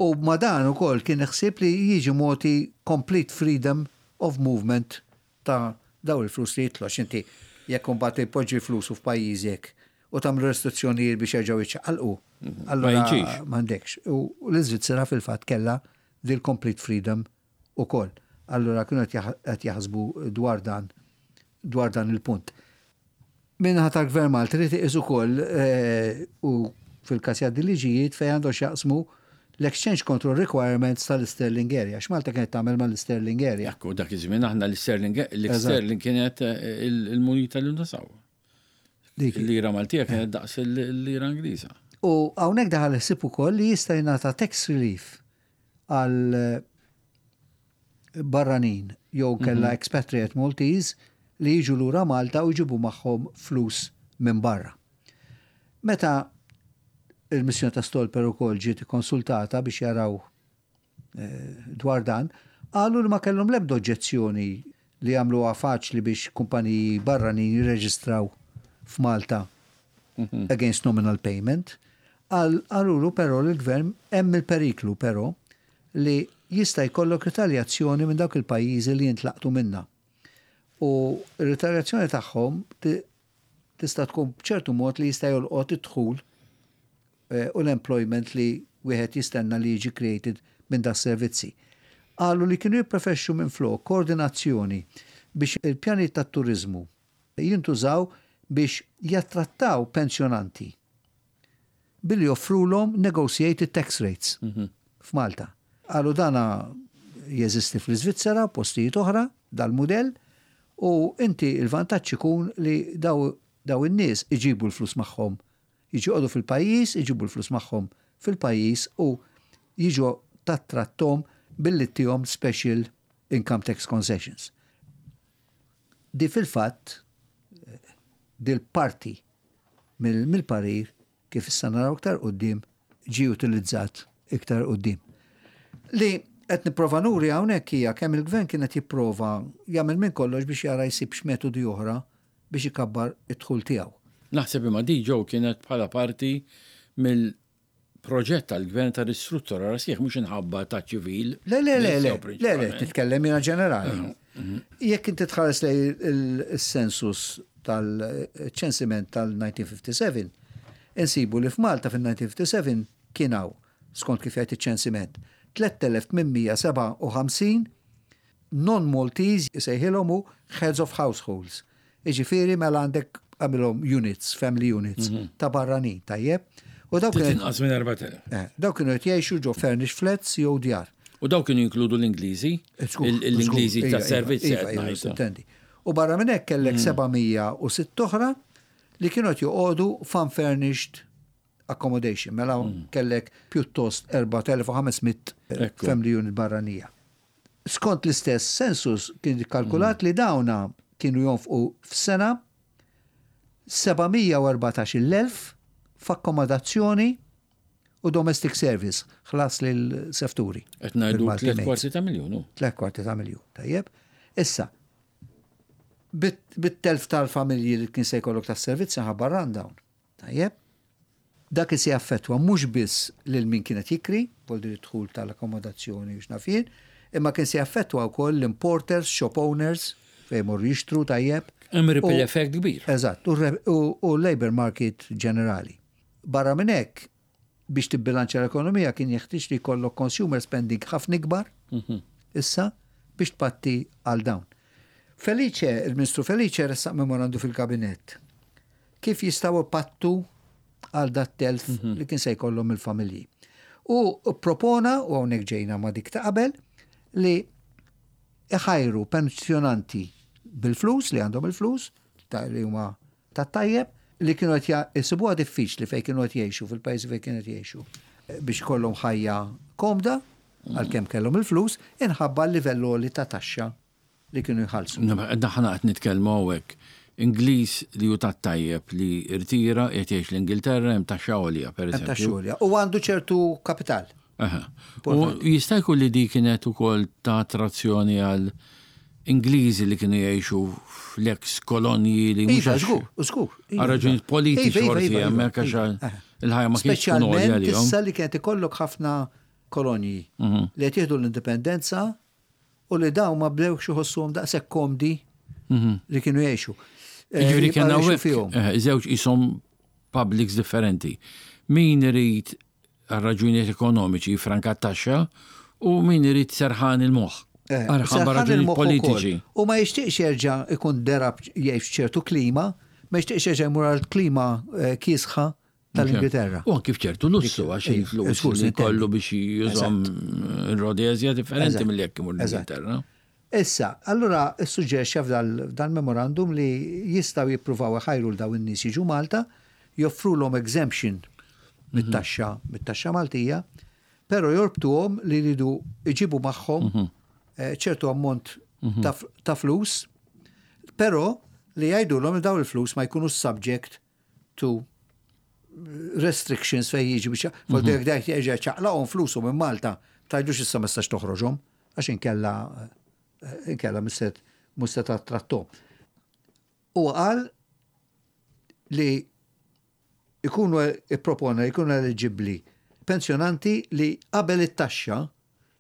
u ma dan ukoll kien ħsieb li jiġi mogħti complete freedom of movement ta' daw il-flus li jitlu, inti jekk imbagħad jpoġġi flusu f'pajjiżek u tagħmlu restrizzjonijiet biex jerġgħu jiċċaqalqu. Mhm. Ma jiġix. M'għandekx. U l-Iżvizzera fil-fatt kellha dil complete freedom ukoll. Allura kienu qed jaħsbu dwar dan dwar dan il-punt. Min-naħa tal-Gvern Malti trid iqis ukoll eh, u fil-każ jgħaddi liġijiet fejn għandu x'jaqsmu l-exchange control requirements tal-Sterling Area. X'Malta kienet tagħmel mal-Sterling Area? Ekku, dak iż-żmien aħna l-Sterling l-Sterling kienet eh, il-munita li nużaw. Il-lira Maltija kienet daqs il-lira Ingliża. U hawnhekk daħal ħsieb ukoll li jista' jingħata tax relief għal eh, barranin jew kella mhm. expatriate Maltese li jiġu lura Malta u jġibu magħhom flus minn barra. Meta il-missjoni ta' Stolper ukoll ġiet konsultata biex jaraw eh, dwar dan, qalu li ma kellhom l-ebda oġġezzjoni li jagħmluha faċli biex kumpaniji barranin jirreġistraw f'Malta mhm. against nominal payment. Qalulu però li l-gvern hemm il-periklu però li jista' jkollok ritaljazzjoni minn dawk il-pajjiżi li jintlaqtu minna. U r-ritaljazzjoni tagħhom tista' tkun b'ċertu mod li jista' jolqot id-dħul eh, u l-employment li wieħed jistenna li jiġi created minn da servizzi. Qalu li kienu jippreferixxu minn flok koordinazzjoni biex il-pjani tat-turizmu jintużaw biex jattrattaw pensjonanti billi joffrulhom negotiated tax rates mm -hmm. f'Malta. Qalu dana jeżisti fl-Iżvizzera, postijiet oħra, dal-mudell, u inti il-vantaġġ ikun li daw, daw in-nies iġibu l-flus magħhom. Jiġu joqogħdu fil-pajjiż, iġibu l-flus magħhom fil-pajjiż u jiġu tattrattom billi ttihom special income tax concessions. Di fil-fatt, dil-parti mill-parir, kif issa naraw iktar quddiem, ġi utilizzat iktar quddiem. Li qed nipprova nuri hawnhekk hija kemm il-gvern kien qed jipprova jagħmel minn kollox biex jara jsib metodi oħra biex ikabbar id-dħul tiegħu. Naħseb imma di ġew kienet bħala parti mill-proġett tal-gvern ta' ristruttura sħiħ, mhux inħabba ta' ċivil. Le, le, le, le, le, le, titkellem jiena ġenerali. Mhm, mhm. Jekk inti tħares lej il-census tal-ċensiment tal-elf disa' mija u ħamsa u ħamsin, insibu li f'Malta fil-elf disa' mija u ħamsa u sebgħin kien hawn, skont kif jgħid iċ-ċensiment, tliet elef tmien mija u sebgħa u ħamsin Non-Maltese jsejħilhom hu heads of households. Iġifieri mela għandek għamilhom units, family units, ta' barranin, tajjeb. U dawk kienu Tinqas minn erbat elef. eh, dawk kienu qed jgħixu ġo furnished flats jew djar. U dawk kienu jinkludu l-Ingliżi? Żgur, Il- L-Ingliżi żgur, ta' iva, servizz iva, qed iva, ngħid. intendi. U barra minn hekk kellek seba' mija u sitt oħra li kienu qed joqogħdu f'unfurnished accommodation. Mela kellek pjuttost erbat elef u ħames mitt Ekku. family unit barranija. Skont l-istess census kien kalkulat li dawna kienu jonfqu f'sena seba' mija u erbatax-il elf f'akkomodazzjoni u domestic service, ħlas lil sefturi. Qed ngħidu Bil-Malti tliet maids. kwarti ta' miljun. hu. Tliet kwarti ta' miljun, tajjeb. Issa, bit- bit-telf tal-familji li kien se jkollok tas-servizz ħabba rundown, tajjeb. Dak se jaffettwa mhux biss lil min kienet jikri, voldi dħul tal-akkomodazzjoni u x'naf jien, imma kien se jaffettwa wkoll l-importers, shop owners, fejn morru jixtru, tajjeb. Hemm ripple U- effect kbir. Eżatt, u re- u u labor market ġenerali. Barra minn hekk, biex tibbilanċa l-ekonomija kien jeħtieġ li jkollok consumer spending ħafna ikbar issa biex tpatti għal dawn. Felice, il-Ministru Felice ressaq memorandu fil-kabinett. Kif jistgħu jpattu għal dat telf li kien se jkollhom il-familji. U propona, u hawnhekk ġejna ma' dik ta' qabel, li iħajru pensjonanti bil-flus, li għandhom il-flus, ta' li huma ta' tajjeb, li kienu qed jisibuha diffiċli fejn kienu qed jgħixu, fil-pajjiżi fejn kienu qed jgħixu, biex ikollhom ħajja komda, għalkemm kellhom il-flus, inħabba l-livell għoli ta' taxxa li kienu jħallsu. Aħna qed nitkellmu hawnhekk. Ingliż li hu tat-tajjeb li irtira qed jgħix l-Ingilterra, hemm taxxa għolja, per Hemm taxxa eżempju. għolja. U għandu ċertu kapital. Aha. U jista' jkun li di kienet ukoll ta' attrazzjoni għal Ingliżi li kienu jgħixu fl-ex kolonji li mhux Iva, għax- żgur, żgur. għal raġunijiet politiċi Iva, iva, forsi iva, iva, hemmhekk għax iva. il-ħajja ma kienx tkun għolja Speċjalment għalihom. issa li kienet ikollok ħafna kolonji Mhm. li qed jieħdu l-indipendenza u li dawn ma bdewx iħossuhom daqshekk komdi li kienu jgħixu. Eh, Mhm. Jiġifieri jibqgħu kien jgħixu hawnhekk fihom. eh, żewġ isom publics differenti. Min irid għal raġunijiet ekonomiċi franka taxxa u min irid serħan il-moħħ. Eh, Għal serħan raġunijiet il-moħħ ukoll. politiċi. U ma jixtieqx jerġa' ikun derab jgħix f'ċertu klima, ma jixtieqx jerġa' jmur għal klima eh, kiesħa tal-Ingilterra. U anki f'ċertu lussu għax Iva, il-flus żgur, li sintendi. kollu biex jużom Rhodesia differenti Eżatt. mill jekk imur Eżatt. l-Ingilterra. Issa, allura suġġerixxa f'dal memorandum li jistgħu jippruvaw iħajru l daw in-nies jiġu Malta, joffrulhom exemption mit-taxxa, mit-taxxa Maltija, però jorbtuhom li jridu iġibu magħhom eh, ċertu ammont ta' f- ta' flus, però li jgħidulhom li daw il-flus ma jkunu subject to restrictions fej jiġi biex mm -hmm. dak jerġa' ċaqlaqhom flusu minn Malta, tgħidux issa ma stax toħroġhom għax inkella eh, inkella misset mhux se trattom. U qal li ikunu ippropona jkunu eligibbli pensjonanti li qabel it-taxxa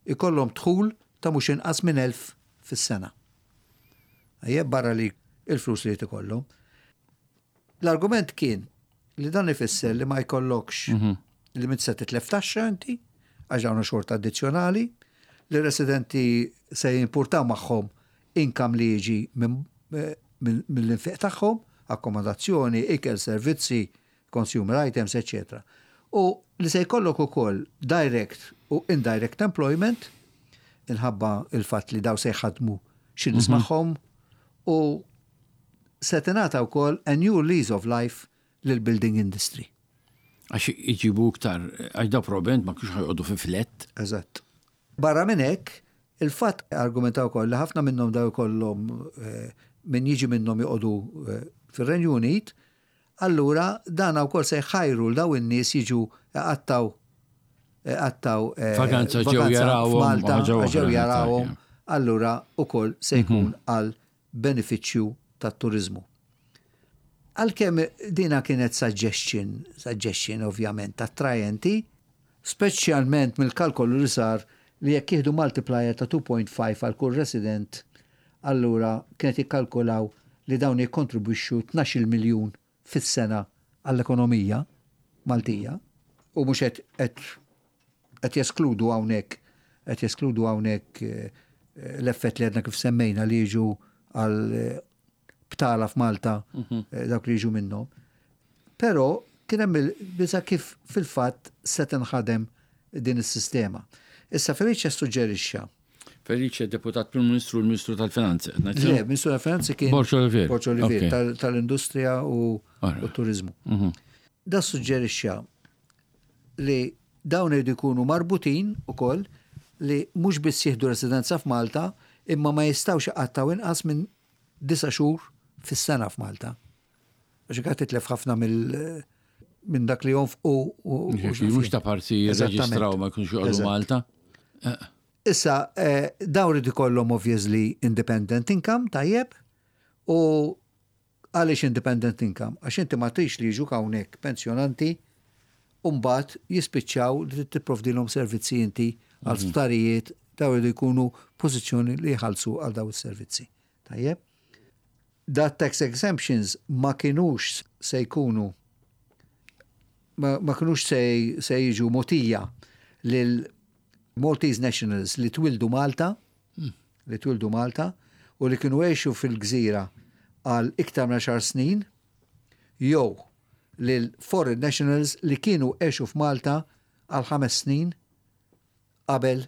ikollhom dħul ta' mhux inqas minn elf fis-sena. Ejja barra li il-flus li ikollhom. L-argument kien li dan ifisser li ma jkollokx li m'int se titlef taxxa inti, għax dawn xorta addizzjonali, li residenti se jimpurtaw magħhom income li jiġi minn- eh, minn- mill-infiq tagħhom, akkomodazzjoni, ikel, servizzi, consumer items, eccetera. U li se jkollok ukoll direct u indirect employment, inħabba il-fatt li daw se jħadmu xi nies magħhom u se tingħata wkoll a new lease of life lil-building industry. Għax iġibu iktar, għax daw probablement ma kienx ħa joqogħdu fi flat. Eżatt. Barra minn hekk, il-fatt argumentaw ukoll li ħafna minnhom daw ikollhom eh, min jiġi minnhom joqogħdu eh, fir-Renju Unit, allura dan wkoll se jħajru l daw in-nies jiġu għattaw għattaw eh, Vaganza ġew jarawhom, f'Malta, ħaġa oħra, ġew jarawhom, eżatt, allura ukoll se jkun għal benefiċċju tat-turizmu. Għalkemm dina kienet suggestion, suggestion ovvjament attrajenti, speċjalment mill-kalkolu li sar li jekk jieħdu multiplier ta' two point five għal kull resident, allura kienet jikkalkulaw li dawn jikkontribwixxu tnax-il miljun fis-sena għall-ekonomija Maltija u mhux qed qed qed jeskludu hawnhekk qed jeskludu hawnhekk eh, L-effett li għedna kif semmejna li jiġu għal eh, btala f'Malta, mhm. eh, dawk li jiġu minnhom. Però kien hemm il-biża kif fil-fatt se tinħadem din is-sistema. Issa Felice suġġerixxa. Felice, deputat Prim Ministru, l-Ministru tal-Finanzi. Le, Ministru tal-Finanzi kien Borg Olivier. Borg Olivier, tal-Industrija u turizmu. Mhm. Da suġġerixxa li dawn jridu jkunu marbutin ukoll li mhux biss jieħdu residenza f'Malta, imma ma jistgħux iqattaw inqas minn disa' xhur fis-sena f'Malta. Għax qed titlef ħafna mill minn dak li jonfqu. Mhux ta' parti jirreġistraw, ma jkunx joqogħdu Malta. Eh. Issa, eh, dawn irid ikollhom obviously independent income, tajjeb, u għaliex independent income? Għax inti ma tridx li jiġu hawnhekk pensjonanti u mbagħad jispiċċaw li tipprovdilhom servizzi inti għal mhm. sptarijiet. Dawn iridu jkunu pożizzjoni li jħallsu għal daw is-servizzi. Tajjeb? Dat tax exemptions ma kienux se jkunu ma, ma kienux se, se jiġu mogħtija lil Maltese nationals li twildu Malta, mm. li twildu Malta u li kienu għexu fil-gżira għal iktar minn għaxar snin, jew lil foreign nationals li kienu għexu f'Malta għal ħames snin qabel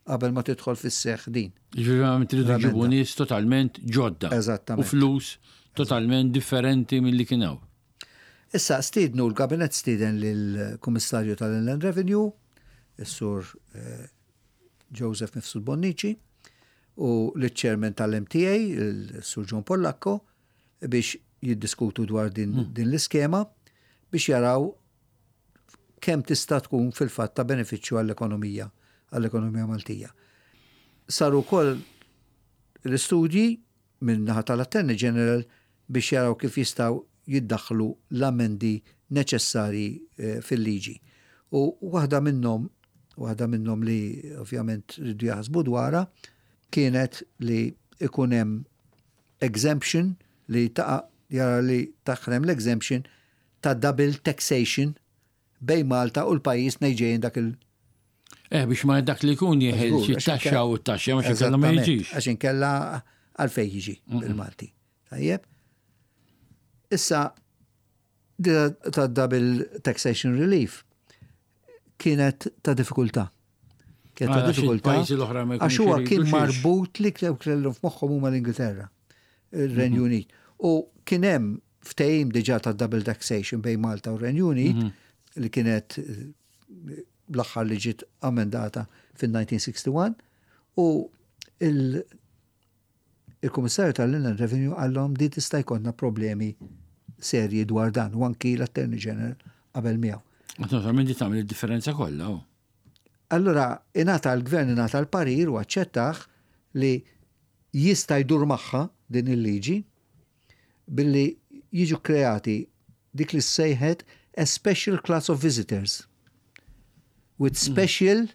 qabel ma tidħol fis-seħ din. Ġifieri tridu ġibu nies totalment ġodda. Eżattament. U flus totalment differenti mill-li kien hawn. Issa stidnu l-kabinet stiden lill-Kummissarju tal-Inland Revenue, is-Sur eh, Joseph Mifsud Bonnici, u l-Chairman tal-M T A, il-Sur John Pollacco, biex jiddiskutu dwar din, hmm. din l-iskema biex jaraw kemm tista' tkun fil-fatt ta' benefiċċju għall-ekonomija għall-ekonomija Maltija. Saru wkoll l-istudji minn naħa tal-Attorney General biex jaraw kif jistgħu jiddaħlu l-amendi neċessari eh, fil-liġi. U waħda minnhom, waħda minnhom li ovvjament rridu jaħsbu dwarha, kienet li ikun hemm exemption li taqa' jara li taħrem l-exemption ta' double taxation bejn Malta u l-pajjiż nejġejn dak il- Eh, biex ma dak li jkun jeħel xi taxxa u t-taxxa ma xi ma jiġix. Għax inkella għalfejn jiġi bil-Malti. Tajjeb. Issa, ta' double taxation relief kienet ta' diffikultà. Kienet ta' diffikultà. Għax huwa kien marbut li kellhom f'moħħhom huma l-Ingilterra, il-Renju mhm. Unit. U kien hemm ftehim diġà ta' double taxation bejn Malta u Renju Unit mhm. li kienet eh, l-aħħar li ġiet amendata fil-elf disa' mija u wieħed u sittin u il-Kummissarju tal-Inland Revenue qallhom di tista' jkollna problemi serji dwar dan u anki l-Attorney General qabel miegħu. Naturalment di tagħmel id-differenza kollha. Oh. Allura ingħata l-gvern ingħata l-parir u aċċettaħ li jista' jdur magħha din il-liġi billi jiġu kreati dik li sejħet a special class of visitors with special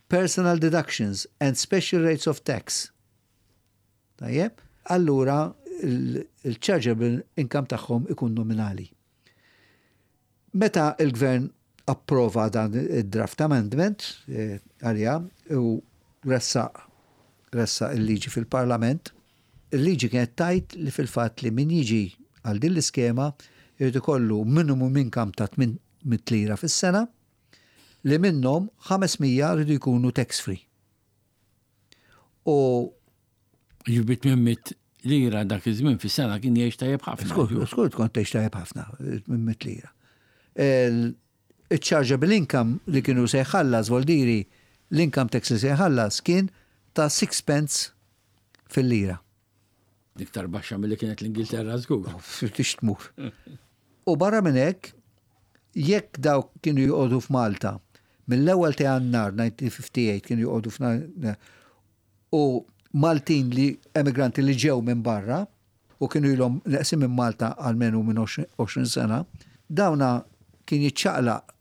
personal deductions and special rates of tax. Tajjeb? Allura il-chargeable income tagħhom ikun nominali. Meta il-gvern approva dan il-draft amendment eh, għalija u ressaq ressaq il-liġi fil-parlament, il-liġi kienet tgħid li fil-fatt li min jiġi għal din l-iskema jrid ikollu minimum income ta' tmien mitt lira fis-sena li minnhom ħames mija rridu jkunu tax free. U Ġibit tmien mitt lira dak iż-żmien fis-sena kien jgħix tajjeb ħafna. Skur, skur tkun tgħix tajjeb ħafna minn mitt lira. Il-chargeable income li kienu se jħallas, voldiri l-income tax li se jħallas kien ta' six pence fil-lira. Iktar baxxa milli kienet l-Ingilterra żgur. Tix tmur. U barra minn hekk, jekk dawk kienu joqogħdu f'Malta, mill-ewwel ta' Jannar elf disa' mija u ħamsa u ħamsin kienu joqogħdu f'Malta u Maltin li emigranti li ġew minn barra u kienu ilhom neqsin minn Malta għalmenu minn għoxrin sena, dawna kien jiċċaqlaq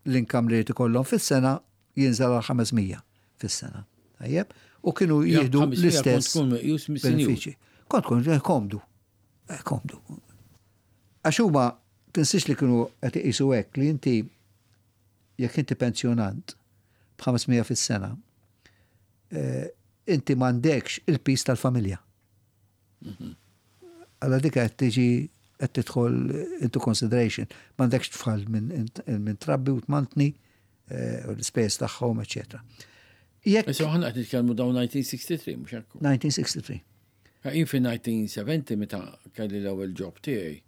l-income li ikollhom fis-sena, jinżel għal ħames mija fis-sena. Tajjeb? U kienu jieħdu l-istess benefiċi. Kont tkun eh, komdu. Eh, komdu. Għax huma tinsiex li kienu qed iqisu hekk li inti jekk inti pensjonant b'ħames mija fis-sena, eh, Inti m'għandekx il-piż tal-familja. Alla dik qed tiġi qed tidħol into consideration. M'għandekx tfal minn min trabbi u tmantni eh, u l-ispejjeż tagħhom, eċetera. Jekk Issa aħna qed nitkellmu dawn elf disa' mija u sitta u sittin, mhux hekk? elf disa' mija u sitta u sittin. Jien fi elf disa' mija u sebgħin meta kelli l-ewwel job tiegħi,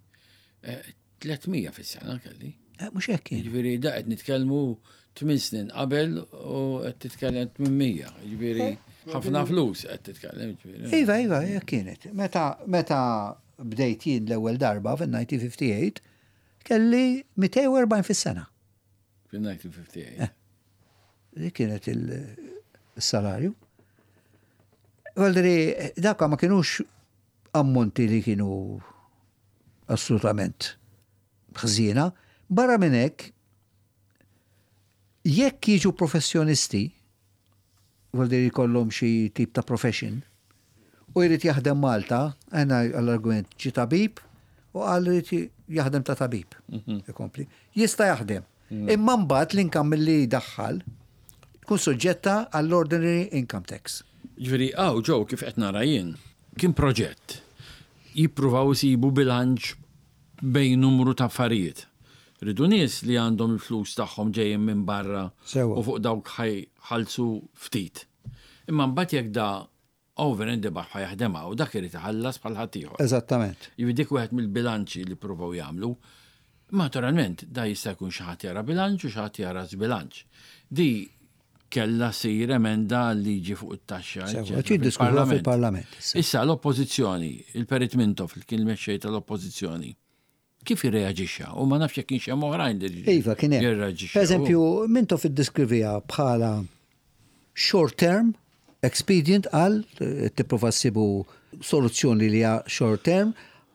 eh, tliet mija fis-sena kelli. Eh, Mhux hekk kien. Jiġifieri da qed nitkellmu tmien snin qabel u qed titkellem tmien mija. Jiġifieri ħafna flus qed titkellem. Jiġifieri. Iva, iva, hekk kienet. Meta, meta bdejt jien l-ewwel darba fil-elf disa' mija u ħamsa u ħamsin, kelli mitejn u erbgħin fis-sena. Fil-elf disa' mija u ħamsa u ħamsin. Dik kienet il-salarju. Valderi, dawk ma kienux ammonti li kienu assolutament ħżiena. Barra minn hekk, jekk jiġu professjonisti, valderi jkollhom xi tip ta' profession, u jrid jaħdem Malta, għena għall-argument ġi tabib, u qal jrid jaħdem ta' tabib. Ikompli. Jista' jaħdem. Imma mbagħad l-income li jdaħħal tkun suġġetta għall-ordinary income tax. Ġifieri, għaw ġew kif qed nara jien, kien proġett. Jippruvaw isibu bilanċ bejn numru ta' affarijiet. Ridu nies li għandhom il-flus tagħhom ġejjin minn barra Sewa. u fuq dawk ħallsu ftit. Imma mbagħad jekk da over and above ħa jaħdem u dak irid iħallas bħal ħaddieħor. Eżattament. Jiġifieri dik wieħed mill-bilanċi li provaw jagħmlu. Naturalment, da jista' jkun xi ħadd jara bilanċ u xi ħadd jara żbilanċ. Di kella sir emenda liġi fuq it-taxxa, Sewa, eċċetera, ġi diskutuha fil-Parlament. issa. Issa l-oppożizzjoni, il-Perit Mintoff, li kien il-mexxej tal-oppożizzjoni, kif irreaġixxa? U ma nafx jekk kienx hemm oħrajn li Iva, kien hemm. jirreaġixxew. Per eżempju, Mintoff iddeskriviha bħala short term, expedient qal, eh, tipprova ssibu soluzzjoni li hija short term,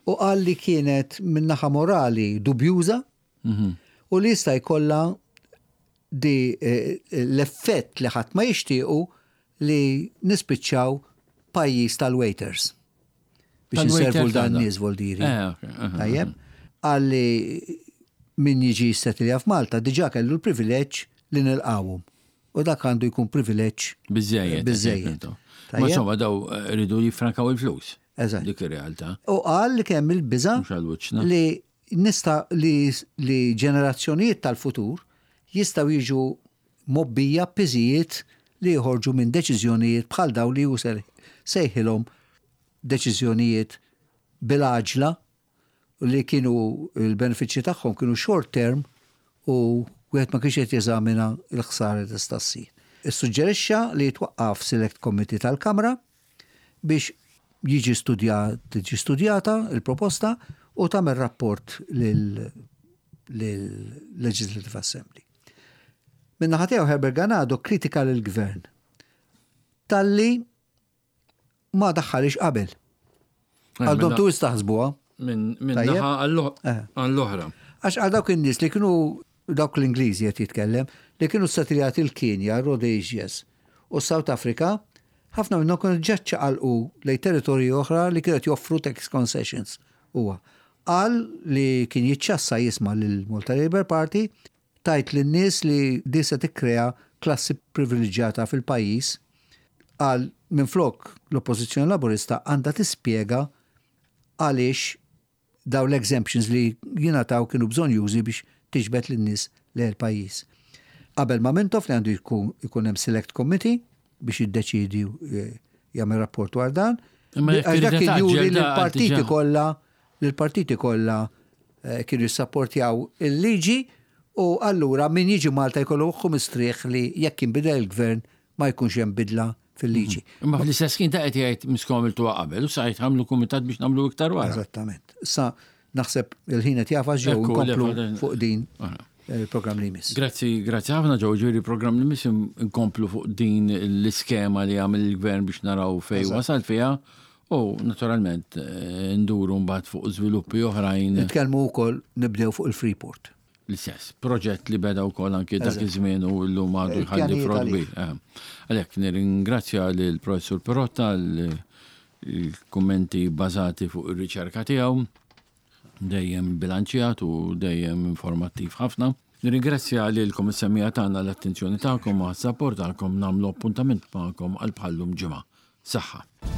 u qal li kienet min-naħa morali dubjuża u li jista' jkollha di eh, l-effett li ħadd ma jixtiequ li nispiċċaw pajjiż tal-waiters. Biex Tal-waiters inservu dan għadha. nies voldiri. Eh, ok, aha, Tajjeb, għalli min jiġi jissettilja f'Malta diġà kellu l-privileġġ li nilqawhom. U dak għandu jkun privileġġ Biżejjed. Biżejjed. Ma Tajjeb? insomma daw eh, ridu jiffrankaw il-flus. Eżatt. Dik ir-realtà. U qal li kemm il-biża Mhux għal wiċċna. li nista li, li ġenerazzjonijiet tal-futur jistgħu jiġu mgħobbija piżijiet li jħorġu minn deċiżjonijiet bħal daw li hu sejħilhom deċiżjonijiet bil-għaġla li kienu il-benefiċċji tagħhom kienu short term u wieħed ma kienx qed jeżamina l-ħsara li tista' ssir. Issuġġerixxa li jitwaqqaf Select Committee tal-Kamra biex jiġi studja, tiġi studjata il-proposta u tagħmel rapport lil lil-Legislative Assembly. Min-naħa tiegħu Herbert Ganado kritika lill-gvern talli ma daħħalix qabel. Għaldhom tu istaħsbuha. Minn min Tajjeb. naħa Eh. għall-oħra. Għax għal dawk in-nies li kienu dawk l-Ingliżi qed jitkellem, li kienu settiljati l-Kenja, Rhodesias u South Africa, ħafna minnhom kienu ġa ċaqalqu lejn territorji oħra li kienu qed joffru tax concessions. Huwa qal li kien jiċċassa jisma' lil Malta Labour Party tajt lin-nies li di se tikkrea klassi privileġġjata fil-pajjiż qal minflok l-Oppożizzjoni Laburista għandha tispjega għaliex daw l-exemptions li jingħataw kienu bżonnjużi biex tiġbed lin-nies lejn il-pajjiż. Qabel ma Mintoff li għandu jkun ikun hemm select committee biex jiddeċidi eh, jagħmel rapport dwar dan. Imma jekk Għax dak irid kien juri tgħaġġel li da l-partiti diġà. kollha li l-partiti kollha eh, kienu jissapportjaw il-liġi u allura min jiġi Malta jkollu moħħu mistrieħ li jekk jinbidel il-gvern ma jkunx hemm bidla fil-liġi. Imma fl-istess kien ta' qed jgħid miskom għamiltuha qabel u sa jgħid kumitat biex nagħmlu iktar wara. Eżattament. Sa naħseb il-ħin qed jagħfas ġew Ekku, nkomplu le, fuq din Ara. il-programm li jmiss. Grazzi, grazzi ħafna ġew ġifieri programm li miss inkomplu fuq din l-iskema li għamel il-gvern biex naraw fej wasal fiha u naturalment eh, nduru mbagħad fuq żviluppi oħrajn Nitkellmu wkoll nibdew fuq il-Freeport. L-istess proġett li beda wkoll anki dak Eżatt. iż-żmien u llum għadu jħalli Il-pjanijiet frott għalih. kbir. Eh. Għalhekk nirringrazzja lill professur Pirotta l-kummenti bażati fuq ir-riċerka tiegħu dejjem bilanċjat u dejjem informattiv ħafna. Nirringrazzja lilkom is-semmiegħa tagħna l-attenzjoni tagħkom u għas-sapport tagħkom. Nagħmlu appuntament magħkom għal bħallum ġimgħa. Saħħa.